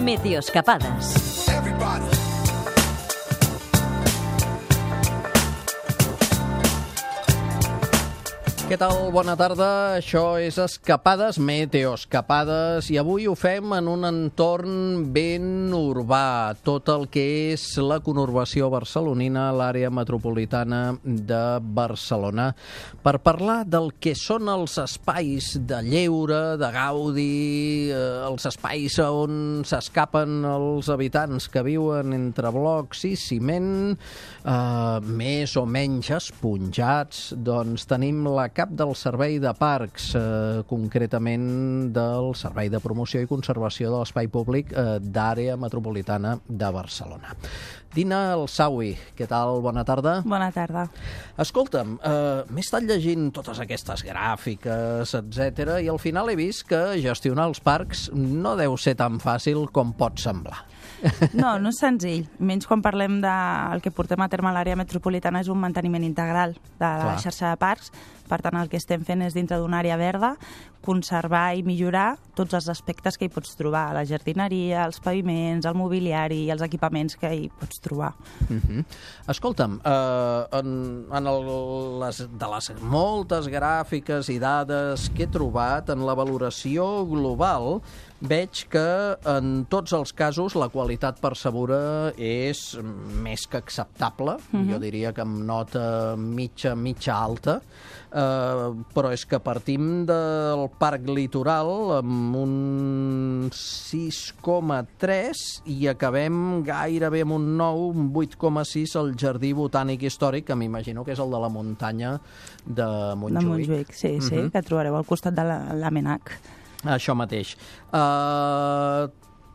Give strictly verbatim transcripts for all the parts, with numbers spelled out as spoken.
Meteoscapades. Què tal? Bona tarda. Això és Escapades, Meteoscapades, i avui ho fem en un entorn ben urbà, tot el que és la conurbació barcelonina, l'àrea metropolitana de Barcelona, per parlar del que són els espais de lleure, de gaudi, eh, els espais on s'escapen els habitants que viuen entre blocs i ciment, eh, més o menys esponjats. Doncs tenim la cap del Servei de Parcs, eh, concretament del Servei de Promoció i Conservació de l'Espai Públic eh, d'Àrea Metropolitana de Barcelona. Dina Alsawi, què tal? Bona tarda. Bona tarda. Escolta'm, eh, m'he estat llegint totes aquestes gràfiques, etcètera, i al final he vist que gestionar els parcs no deu ser tan fàcil com pot semblar. No, no és senzill. Menys quan parlem del que portem a terme a l'àrea metropolitana és un manteniment integral de la Clar. xarxa de parcs. Per tant, el que estem fent és, dintre d'una àrea verda, conservar i millorar tots els aspectes que hi pots trobar. La jardineria, els paviments, el mobiliari i els equipaments que hi pots trobar. Uh-huh. Escolta'm, eh, en, en el, les, de les moltes gràfiques i dades que he trobat, en la valoració global, veig que en tots els casos la qualitat percebuda és més que acceptable. Uh-huh. Jo diria que amb nota mitja, mitja alta, eh, però és que partim del Parc Litoral amb un sis coma tres i acabem gairebé amb un nou, un vuit coma sis al Jardí Botànic Històric, que m'imagino que és el de la muntanya de Montjuïc. De Montjuïc, sí, sí, uh-huh. que trobareu al costat de l'Amenac. Això mateix. Uh,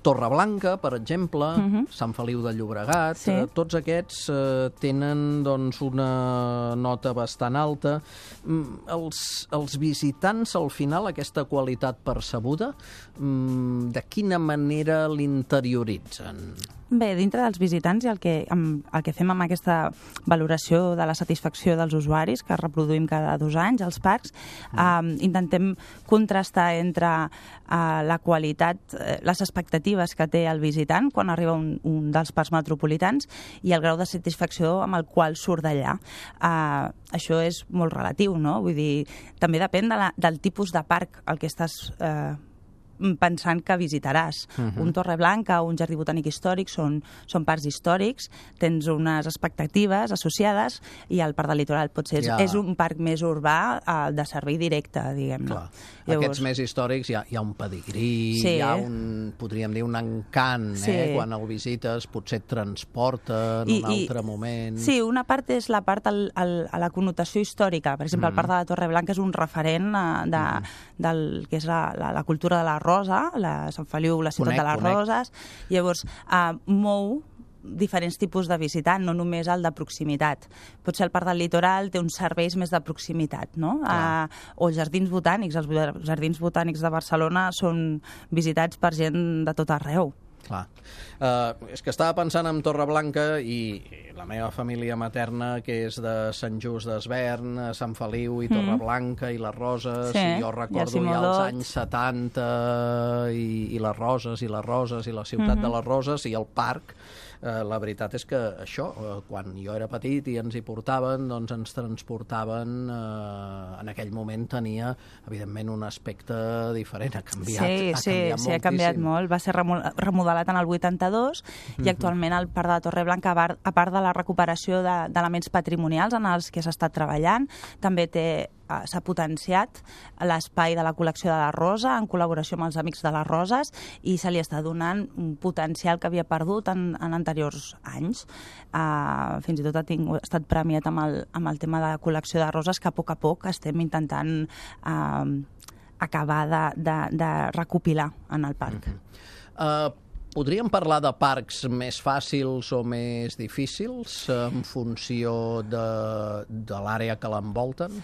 Torreblanca, per exemple, uh-huh. Sant Feliu de Llobregat, sí. uh, tots aquests uh, tenen doncs, una nota bastant alta. Mm, els, els visitants, al final, aquesta qualitat percebuda, mm, de quina manera l'interioritzen? Bé, dintre dels visitants i el que, amb, el que fem amb aquesta valoració de la satisfacció dels usuaris, que reproduïm cada dos anys als parcs, mm. eh, intentem contrastar entre eh, la qualitat, eh, les expectatives que té el visitant quan arriba un, un dels parcs metropolitans i el grau de satisfacció amb el qual surt d'allà. Eh, això és molt relatiu, no? Vull dir, també depèn de la, del tipus de parc al que estàs eh, pensant que visitaràs. Uh-huh. Un Torreblanca o un Jardí Botànic Històric són, són parcs històrics, tens unes expectatives associades i el Parc del Litoral potser és, ja. és un parc més urbà uh, de servei directe, diguem-ne. Llavors... Aquests més històrics hi ha, hi ha un pedigrí, sí. hi ha un, podríem dir, un encant, sí. eh? Quan el visites potser et transporta en I, un altre i, moment. Sí, una part és la part al, al, a la connotació històrica. Per exemple, mm. el Parc de la Torreblanca és un referent uh, de, mm. del que és la, la, la cultura de la rosa, la Sant Feliu, la ciutat conec, de les conec. roses. Llavors, uh, mou diferents tipus de visitant, no només el de proximitat. Potser el Parc del Litoral té uns serveis més de proximitat, no? Uh, o els jardins botànics. Els jardins botànics de Barcelona són visitats per gent de tot arreu. Clar. Uh, és que estava pensant en Torreblanca i la meva família materna, que és de Sant Just d'Esvern, Sant Feliu i Torreblanca mm. i les Roses, sí, i jo recordo ja els anys setanta i, i les Roses i les Roses i la ciutat mm-hmm. de les Roses i el parc. Uh, la veritat és que això, uh, quan jo era petit i ens hi portaven, doncs ens transportaven, uh, en aquell moment tenia, evidentment, un aspecte diferent, ha canviat, sí, ha sí, canviat sí, moltíssim. ha canviat molt, va ser remodelat en el vuitanta-dos mm-hmm. i actualment el Parc de la Torreblanca, a part de la recuperació d'elements patrimonials en els que s'ha estat treballant, també té s'ha potenciat l'espai de la col·lecció de la Rosa en col·laboració amb els Amics de les Roses i se li està donant un potencial que havia perdut en, en anteriors anys. Uh, fins i tot ha, tingut, ha estat premiat amb el, amb el tema de la col·lecció de roses que a poc a poc estem intentant uh, acabar de, de, de recopilar en el parc. Mm-hmm. uh... Podríem parlar de parcs més fàcils o més difícils en funció de, de l'àrea que l'envolten?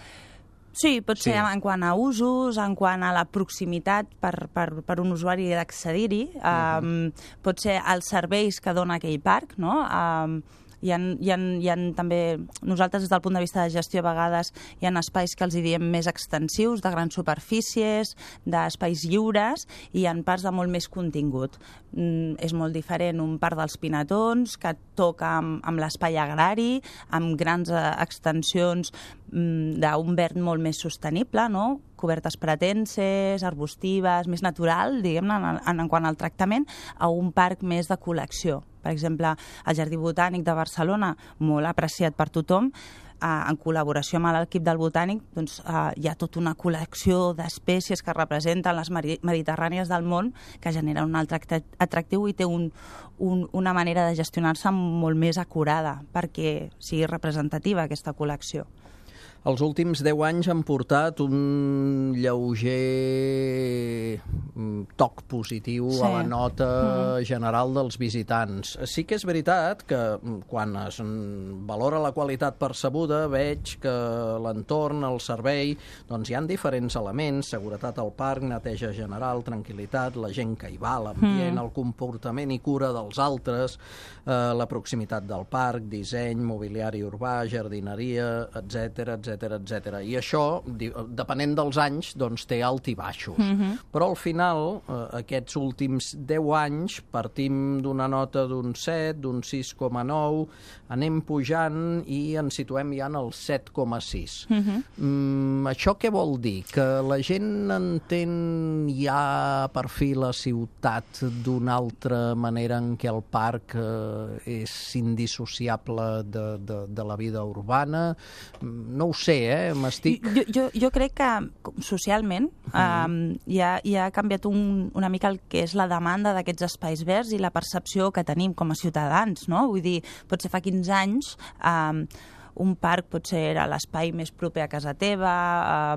Sí, pot ser sí. en quant a usos, en quant a la proximitat per, per, per un usuari d'accedir-hi, uh-huh. um, pot ser els serveis que dona aquell parc, no? Um, Hi ha, hi ha, hi ha també, nosaltres des del punt de vista de gestió a vegades hi ha espais que els hi diem més extensius, de grans superfícies, d'espais lliures, i hi ha parcs de molt més contingut. Mm, és molt diferent un parc dels Pinatons, que toca amb, amb l'espai agrari, amb grans eh, extensions mm, d'un verd molt més sostenible, no? Cobertes pretenses, arbustives, més natural, diguem-ne, en, en, en quant al tractament, a un parc més de col·lecció. Per exemple, el Jardí Botànic de Barcelona, molt apreciat per tothom, eh, en col·laboració amb l'equip del Botànic, doncs, eh, hi ha tota una col·lecció d'espècies que representen les mediterrànies del món, que genera un altre atractiu i té un, un, una manera de gestionar-se molt més acurada perquè sigui representativa aquesta col·lecció. Els últims deu anys han portat un lleuger toc positiu sí. a la nota mm. general dels visitants. Sí que és veritat que quan es valora la qualitat percebuda veig que l'entorn, el servei, doncs hi ha diferents elements, seguretat al parc, neteja general, tranquil·litat, la gent que hi va, l'ambient, mm. el comportament i cura dels altres, eh, la proximitat del parc, disseny, mobiliari urbà, jardineria, etcètera, etcètera, etcètera. I això, depenent dels anys, doncs té alt i baixos. Mm-hmm. Però al final, eh, aquests últims deu anys, partim d'una nota d'un set, d'un sis coma nou, anem pujant i ens situem ja en el set coma sis. Mm-hmm. Mm, això què vol dir? Que la gent entén ja per fi la ciutat d'una altra manera en què el parc eh, és indissociable de, de, de la vida urbana? No ho sé, eh? M'estic... Jo, jo, jo crec que socialment mm. um, ja, ja ha canviat un, una mica el que és la demanda d'aquests espais verds i la percepció que tenim com a ciutadans, no? Vull dir, potser fa quinze anys um, un parc potser era l'espai més proper a casa teva,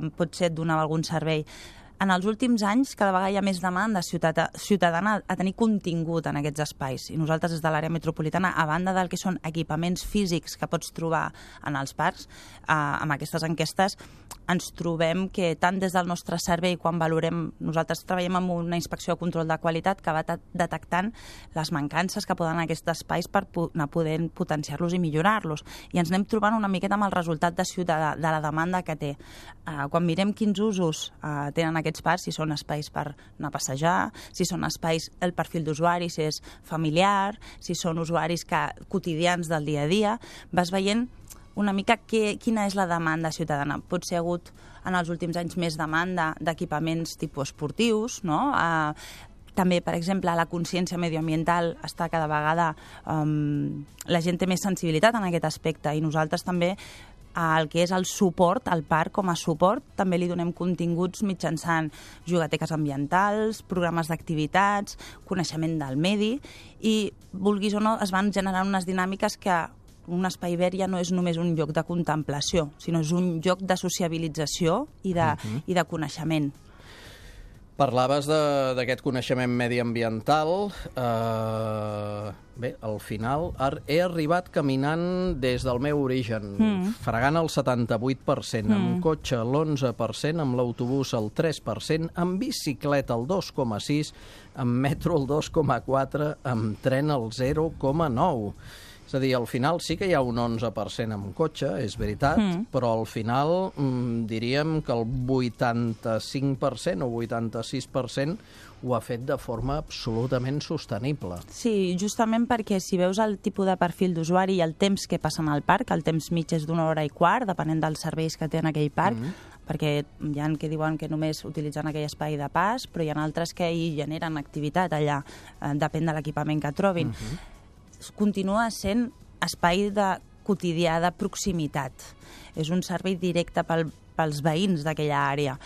um, potser et donava algun servei. En els últims anys, cada vegada hi ha més demanda ciutadana a tenir contingut en aquests espais. I nosaltres, des de l'àrea metropolitana, a banda del que són equipaments físics que pots trobar en els parcs, eh, amb aquestes enquestes ens trobem que tant des del nostre servei, quan valorem, nosaltres treballem amb una inspecció de control de qualitat que va detectant les mancances que poden en aquests espais per anar podent potenciar-los i millorar-los. I ens anem trobant una miqueta amb el resultat de ciutadà, de la demanda que té. Eh, quan mirem quins usos eh, tenen aquests parcs, si són espais per anar a passejar, si són espais, el perfil d'usuari, si és familiar, si són usuaris que, quotidians del dia a dia, vas veient una mica que, quina és la demanda ciutadana. Potser ha hagut en els últims anys més demanda d'equipaments tipus esportius, no? Eh, també, per exemple, la consciència medioambiental està cada vegada... Um, la gent té més sensibilitat en aquest aspecte i nosaltres també el que és el suport, el parc com a suport, també li donem continguts mitjançant jugateques ambientals, programes d'activitats, coneixement del medi i, vulguis o no, es van generant unes dinàmiques que un espai verd ja no és només un lloc de contemplació, sinó és un lloc de sociabilització i de, uh-huh. i de coneixement. Parlaves d'aquest coneixement mediambiental. Uh, bé, al final he arribat caminant des del meu origen, mm. fregant el setanta-vuit per cent, mm. amb cotxe l'onze per cent, amb l'autobús el tres per cent, amb bicicleta el dos coma sis, amb metro el dos coma quatre, amb tren el zero coma nou. És a dir, al final sí que hi ha un onze per cent amb cotxe, és veritat, mm. però al final mm, diríem que el vuitanta-cinc per cent o vuitanta-sis per cent ho ha fet de forma absolutament sostenible. Sí, justament perquè si veus el tipus de perfil d'usuari i el temps que passen al parc, el temps mig és d'una hora i quart, depenent dels serveis que té en aquell parc, mm. perquè hi ha que diuen que només utilitzen aquell espai de pas, però hi ha altres que hi generen activitat allà, eh, depèn de l'equipament que trobin. Mm-hmm. Continua sent espai de quotidià, de proximitat. És un servei directe pel, pels veïns d'aquella àrea.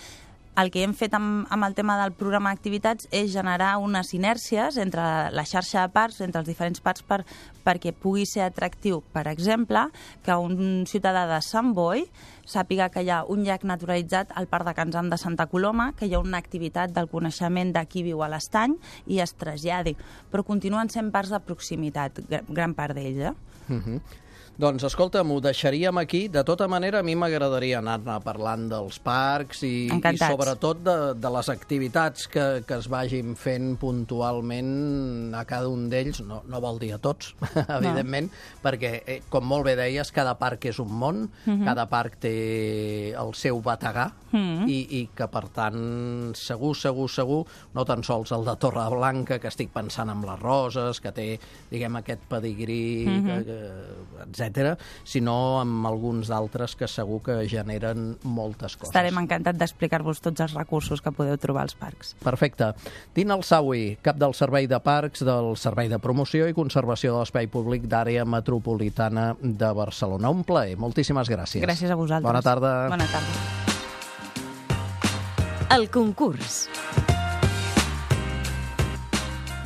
El que hem fet amb, amb el tema del programa d'activitats és generar unes inèrcies entre la xarxa de parcs, entre els diferents parcs, per, perquè pugui ser atractiu. Per exemple, que un ciutadà de Sant Boi sàpiga que hi ha un llac naturalitzat al Parc de Can Zam de Santa Coloma, que hi ha una activitat del coneixement de qui viu a l'estany i es traslladi. Però continuen sent parcs de proximitat, gran part d'ells. Eh? Uh-huh. Doncs escolta'm, ho deixaríem aquí. De tota manera, a mi m'agradaria anar-ne parlant dels parcs i, i sobretot de, de les activitats que, que es vagin fent puntualment a cada un d'ells. No, no vol dir a tots, evidentment, no. perquè, eh, com molt bé deies, cada parc és un món, uh-huh. cada parc té el seu bategà, uh-huh. i, i que, per tant, segur, segur, segur, no tan sols el de Torreblanca, que estic pensant en les roses, que té, diguem, aquest pedigrí, uh-huh. que, que, etcètera, sinó amb alguns d'altres que segur que generen moltes coses. Estarem encantats d'explicar-vos tots els recursos que podeu trobar als parcs. Perfecte. Dina Alsawi, cap del Servei de Parcs, del Servei de Promoció i Conservació de l'Espai Públic d'Àrea Metropolitana de Barcelona. Un plaer. Moltíssimes gràcies. Gràcies a vosaltres. Bona tarda. Bona tarda. El concurs.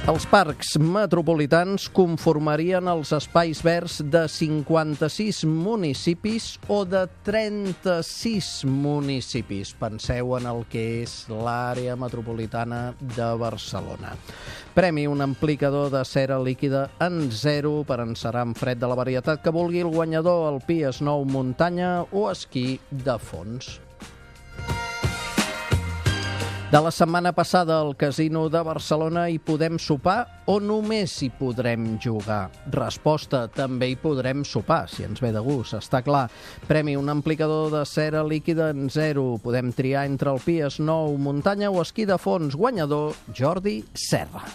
Els parcs metropolitans conformarien els espais verds de cinquanta-sis municipis o de trenta-sis municipis. Penseu en el que és l'àrea metropolitana de Barcelona. Premi, un amplificador de cera líquida en zero per encerar en fred de la varietat que vulgui el guanyador, el Pi Snow muntanya o esquí de fons. De la setmana passada al Casino de Barcelona hi podem sopar o només hi podrem jugar? Resposta, també hi podrem sopar, si ens ve de gust, està clar. Premi, un amplificador de cera líquida en zero. Podem triar entre el Pi Snow muntanya o esquí de fons. Guanyador, Jordi Serra.